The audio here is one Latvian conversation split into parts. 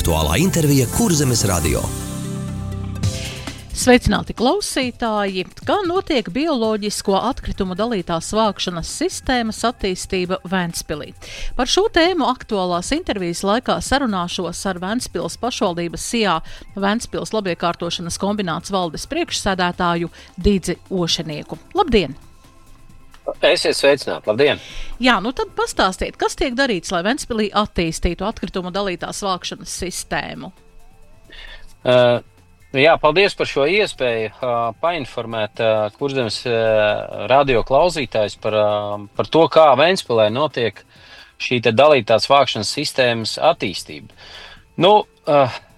Aktuālā intervija Kurzemes radio. Sveicināti klausītāji! Kā notiek bioloģisko atkritumu dalītās vākšanas sistēmas attīstība Ventspilī? Par šo tēmu aktuālās intervijas laikā sarunāšos ar Ventspils pašvaldības SIA Ventspils labiekārtošanas kombināts valdes priekšsēdētāju Didzi Ošenieku. Labdien! Esiet sveicināti, labdien! Jā, tad pastāstiet, kas tiek darīts, lai Ventspilī attīstītu atkritumu dalītās vākšanas sistēmu? Jā, paldies par šo iespēju painformēt Kurzemes radio klausītājs par to, kā Ventspilē notiek šī te dalītās vākšanas sistēmas attīstība.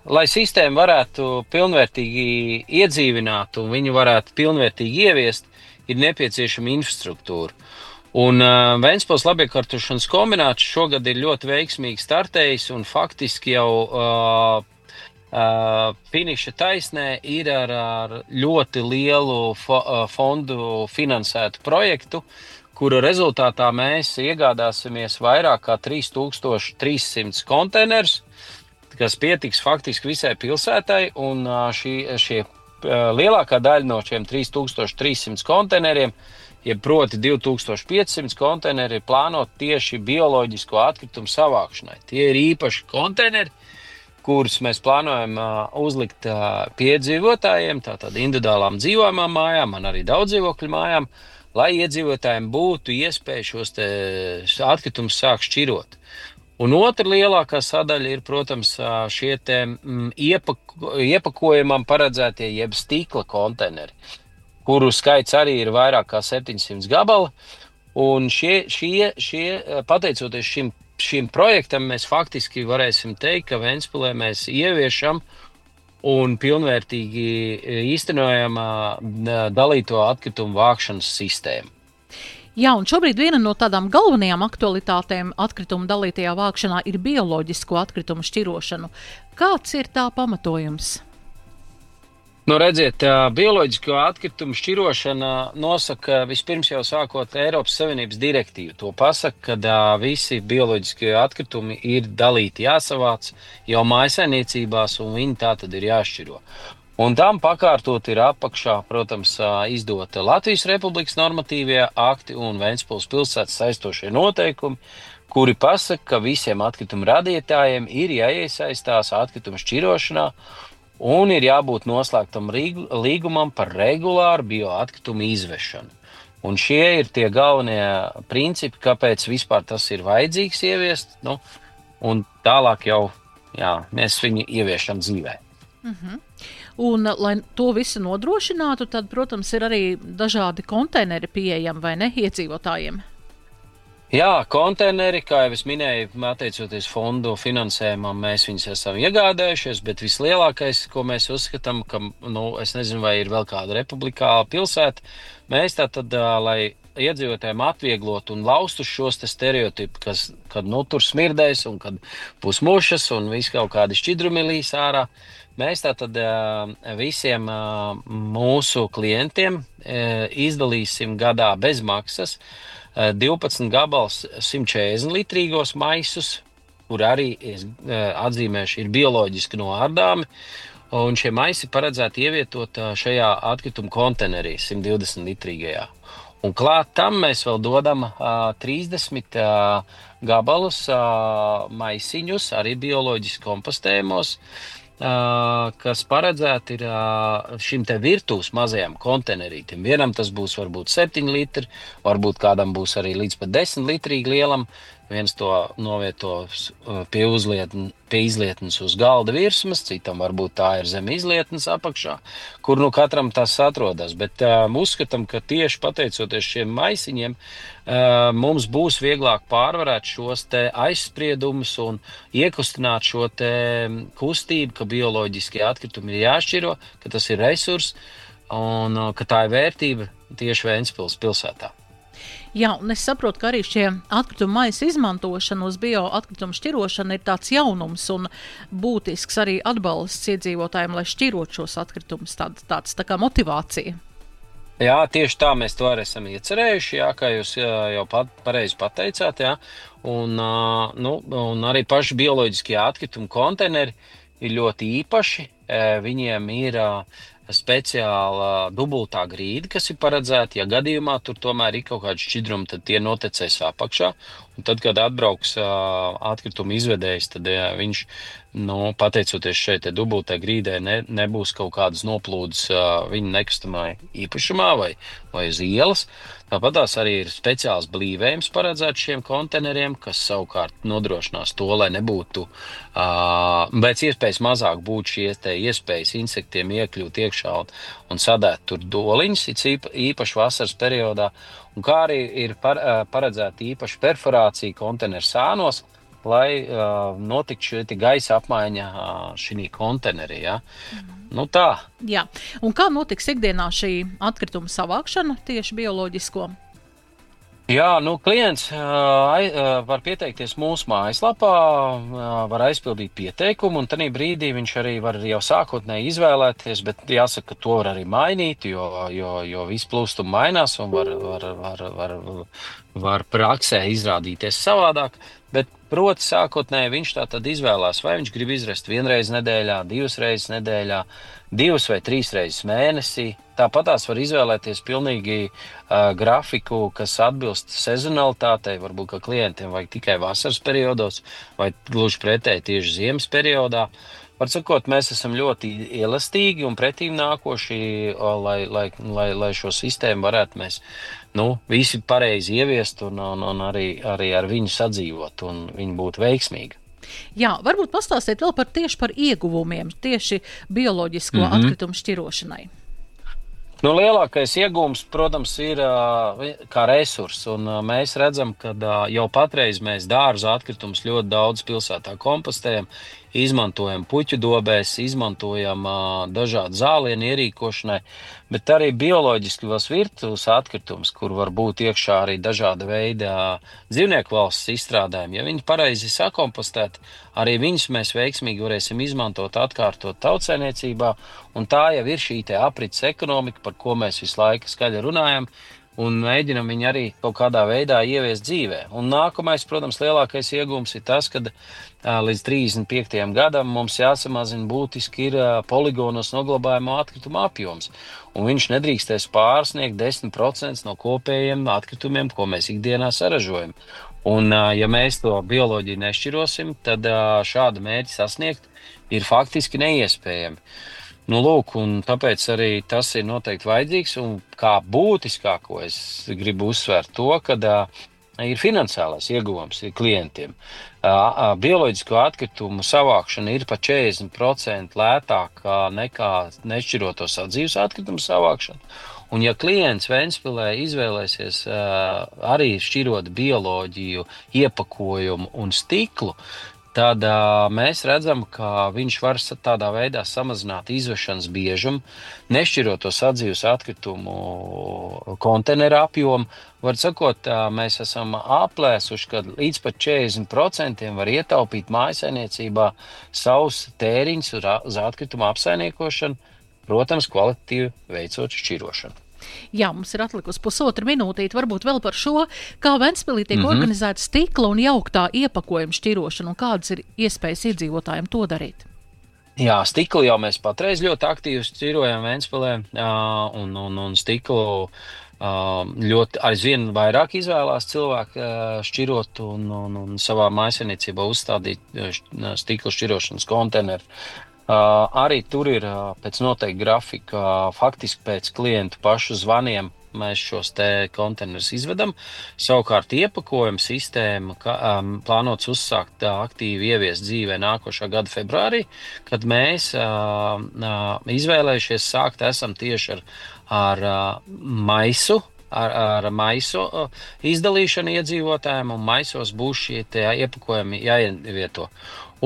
Lai sistēmu varētu pilnvērtīgi iedzīvināt un viņu varētu pilnvērtīgi ieviest, ir nepieciešama infrastruktūra. Un Ventspils labiekārtošanas kombināts šogad ir ļoti veiksmīgi startējis un faktiski jau finiša taisnē ir ar ļoti lielu fondu finansētu projektu, kura rezultātā mēs iegādāsimies vairāk kā 3300 konteinerus, kas pietiks faktiski visai pilsētai, un šie lielākā daļa no šiem 3300 konteineriem, proti 2500 konteineri, ir plānot tieši bioloģisko atkritumu savākšanai. Tie ir īpaši konteineri, kurus mēs plānojam uzlikt piedzīvotājiem, tātad individuālām dzīvojamām mājām, un arī daudzdzīvokļu mājām, lai iedzīvotājiem būtu iespēja šos atkritumus sākt šķirot. Un otra lielākā sadaļa ir, protams, šie iepakojumam paredzētie jeb stikla konteineri, kuru skaits arī ir vairāk kā 700 gabali, un pateicoties šim projektam mēs faktiski varēsim teikt, ka Ventspilē mēs ieviešam un pilnvērtīgi īstenojam dalīto atkritumu vākšanas sistēmu. Jā, un šobrīd viena no tādām galvenajām aktualitātēm atkritumu dalītajā vākšanā ir bioloģisko atkritumu šķirošanu. Kāds ir tā pamatojums? Redziet, bioloģisko atkritumu šķirošana nosaka vispirms jau sākot Eiropas Savienības direktīvu. To pasaka, ka visi bioloģiskie atkritumi ir dalīti, jāsavāc jau mājsaimniecībās, un viņi tā tad ir jāšķiro. Un tam pakārtot ir apakšā, protams, izdota Latvijas Republikas normatīvie akti un Ventspils pilsētas saistošie noteikumi, kuri pasaka, ka visiem atkritumu radītājiem ir jāiesaistās atkritumu šķirošanā, un ir jābūt noslēgtam līgumam par regulāru bioatkritumu izvešanu. Un šie ir tie galvenie principi, kāpēc vispār tas ir vajadzīgs ieviest, un tālāk jau mēs viņu ieviešam dzīvē. Un, lai to visu nodrošinātu, tad, protams, ir arī dažādi konteineri pieejami, vai ne, iedzīvotājiem? Jā, konteineri, kā jau es minēju, atteicoties fondu finansējumam, mēs viņus esam iegādājušies, bet vislielākais, ko mēs uzskatām, ka, es nezinu, vai ir vēl kāda republikāla pilsēta, mēs tātad, lai iedzīvotājiem atvieglotu un laustu šos stereotipu, kad tur smirdēs un kad būs mušas un viss kaut kādi šķidrumi līs ārā, mēs tātad visiem mūsu klientiem izdalīsim gadā bez maksas 12 gabals 140 litrīgos maisus, kur arī atzīmēšu ir bioloģiski noārdāmi, un šie maisi paredzēti ievietot šajā atkritumu konteinerī 120 litrīgajā. Un klāt tam mēs vēl dodam 30 gabalus maisiņus, arī bioloģiski kompostējumos, kas paredzēti ir šim te virtuves mazajam konteinerītim. Vienam tas būs varbūt 7 litri, varbūt kādam būs arī līdz pat 10 litrīgi lielam. Viens to novietos pie izlietnes uz galda virsmas, citam varbūt tā ir zem izlietnes apakšā, kur katram tas atrodas. Bet uzskatām, ka tieši pateicoties šiem maisiņiem, mums būs vieglāk pārvarēt šos te aizspriedumus un iekustināt šo te kustību, ka bioloģiskie atkritumi ir jāšķiro, ka tas ir resurs un ka tā ir vērtība tieši Ventspils pilsētā. Jā, un es saprotu, ka arī šie atkritumu maisa izmantošana uz bioatkritumu šķirošanu ir tāds jaunums un būtisks arī atbalsts iedzīvotājiem, lai šķirot šos atkritumus, tāds tā kā motivācija. Jā, tieši tā mēs to arī esam iecerējuši, jā, kā jūs jau pareizi pateicāt, jā. Un arī paši bioloģiskie atkritumu konteineri ir ļoti īpaši. Viņiem ir speciāla dubultā grīda, kas ir paredzēta. Ja gadījumā tur tomēr ir kaut kādi šķidrumi, tad tie notekēs apakšā. Un tad, kad atbrauks atkrituma izvedējs, tad viņš, pateicoties šeit dubultai grīdai, nebūs kaut kādas noplūdes viņa nekustamā īpašumā vai uz ielas. Tāpat tās arī ir speciāls blīvējums paredzēts šiem konteineriem, kas savukārt nodrošinās to, lai nebūtu pēc iespējas mazāk būtu šīs iespējas insektiem iekļūt iekšā un sadēt tur doliņus, īpaši vasaras periodā. Un kā arī ir paredzēta īpaša perforācija konteineru sānos, lai notiktu šī gaisa apmaiņa šī konteinerī. Ja? Tā. Jā. Un kā notiks ikdienā šī atkrituma savākšana tieši bioloģisko? Jā, klients var pieteikties mūsu mājaslapā, var aizpildīt pieteikumu, un tajā brīdī viņš arī var jau sākotnēji izvēlēties, bet jāsaka, ka to var arī mainīt, jo viss plūstumi mainās un var praksē izrādīties savādāk. Bet, proti, sākotnēji viņš tātad izvēlās, vai viņš grib izrest 1 reizi nedēļā, 2 reizes nedēļā, 2 vai 3 reizes mēnesī. Tāpat tās var izvēlēties pilnīgi grafiku, kas atbilst sezonalitātei. Varbūt, ka klientiem vajag tikai vasaras periodos, vai gluži pretēji tieši ziemas periodā. Var sakot, mēs esam ļoti elastīgi un pretīm nākoši, lai šo sistēmu varētu mēs visi pareizi ieviest un arī ar viņu sadzīvot un viņi būtu veiksmīgi. Jā, varbūt pastāstiet vēl tieši par ieguvumiem, tieši bioloģisko atkritumu šķirošanai. Lielākais iegūms, protams, ir kā resurss, un mēs redzam, ka jau patreiz mēs dārza atkritumus ļoti daudz pilsētā kompostējam, izmantojam puķu dobēs, izmantojam dažādu zālienu ierīkošanai, bet arī bioloģiskos virtuves atkritumus, kur var būt iekšā arī dažāda veida dzīvnieku valsts izstrādājumi. Ja viņi pareizi sakompostēt, arī viņus mēs veiksmīgi varēsim izmantot, atkārtot tautsaimniecībā, un tā jau ir šī aprits ekonomika, par ko mēs visu laiku skaļi runājam, un mēģinam viņu arī kaut kādā veidā ieviest dzīvē. Un nākamais, protams, lielākais iegūms ir tas, ka līdz 35. gadam mums jāsamazina būtiski ir poligonos noglabājamo atkritumu apjoms. Un viņš nedrīkstēs pārsniegt 10% no kopējiem atkritumiem, ko mēs ikdienā saražojam. Un ja mēs to bioloģiju nešķirosim, tad šādu mērķi sasniegt ir faktiski neiespējami. Un tāpēc arī tas ir noteikti vajadzīgs, un kā būtiskāko es gribu uzsvērt to, ka ir finansiālais ieguvums klientiem. Bioloģisko atkritumu savākšana ir pa 40% lētāka nekā nešķiroto sadzīves atkritumu savākšana. Un ja klients Ventspilē izvēlēsies arī šķirot bioloģiju, iepakojumu un stiklu, tad mēs redzam, ka viņš var tādā veidā samazināt izvešanas biežumu, nešķiroto sadzīves atkritumu konteineru apjomu. Var sakot, mēs esam aplēsuši, ka līdz pat 40% var ietaupīt mājsaimniecībā savus tēriņus uz atkritumu apsaimniekošanu, protams, kvalitatīvi veicot šķirošanu. Jā, mums ir atlikusi pusotra minūtīte, varbūt vēl par šo, kā Ventspilī tiek organizēta stikla un jauktā iepakojuma šķirošana, un kādas ir iespējas iedzīvotājiem to darīt? Jā, stiklu jau mēs patreiz ļoti aktīvi šķirojam Ventspilē, un stiklu ļoti aizvien vairāk izvēlās cilvēki šķirot un savā mājsaimniecībā uzstādīt stiklu šķirošanas konteineru. Arī tur ir pēc noteikta grafika, faktiski pēc klientu pašu zvaniem mēs šos te konteinerus izvedam. Savukārt iepakojuma sistēma plānots uzsākt aktīvi ieviest dzīvē nākošā gada februārī, kad mēs izvēlējušies sākt esam tieši ar maisu. Ar maisu izdalīšanu iedzīvotājiem, un maisos būs šie iepakojumi jāievieto.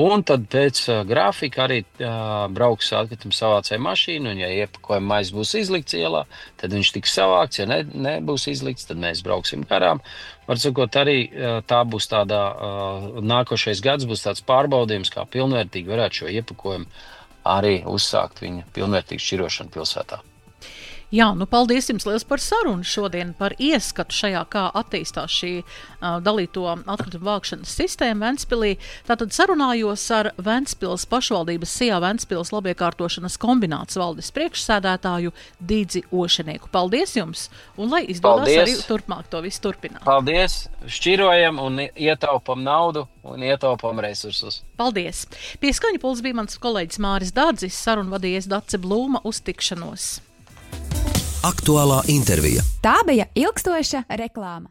Un tad pēc grafika arī brauks atkrituma savācēja mašīna, un ja iepakojuma mais būs izlikts ielā, tad viņš tiks savākts, ja nebūs izlikts, tad mēs brauksim garām. Var sakot, arī tā būs tāda, nākošais gads būs tāds pārbaudījums, kā pilnvērtīgi varētu šo iepakojumu arī uzsākt viņa pilnvērtīgu šķirošanu pilsētā. Jā, paldies jums liels par sarunu šodien, par ieskatu šajā, kā attīstās šī dalīto atkritumu vākšanas sistēma Ventspilī. Tātad sarunājos ar Ventspils pašvaldības SIA Ventspils labiekārtošanas kombināts valdes priekšsēdētāju Didzi Ošenieku. Paldies jums, un lai izdodas arī turpmāk to visu turpināt. Paldies, šķirojam un ietaupam naudu un ietaupam resursus. Paldies. Pie skaņa pults bija mans kolēģis Māris Dādzis, sarunu vadījies Dace Blūma, uz tikšanos. Aktuālā intervija. Tā bija ilgstoša reklāma.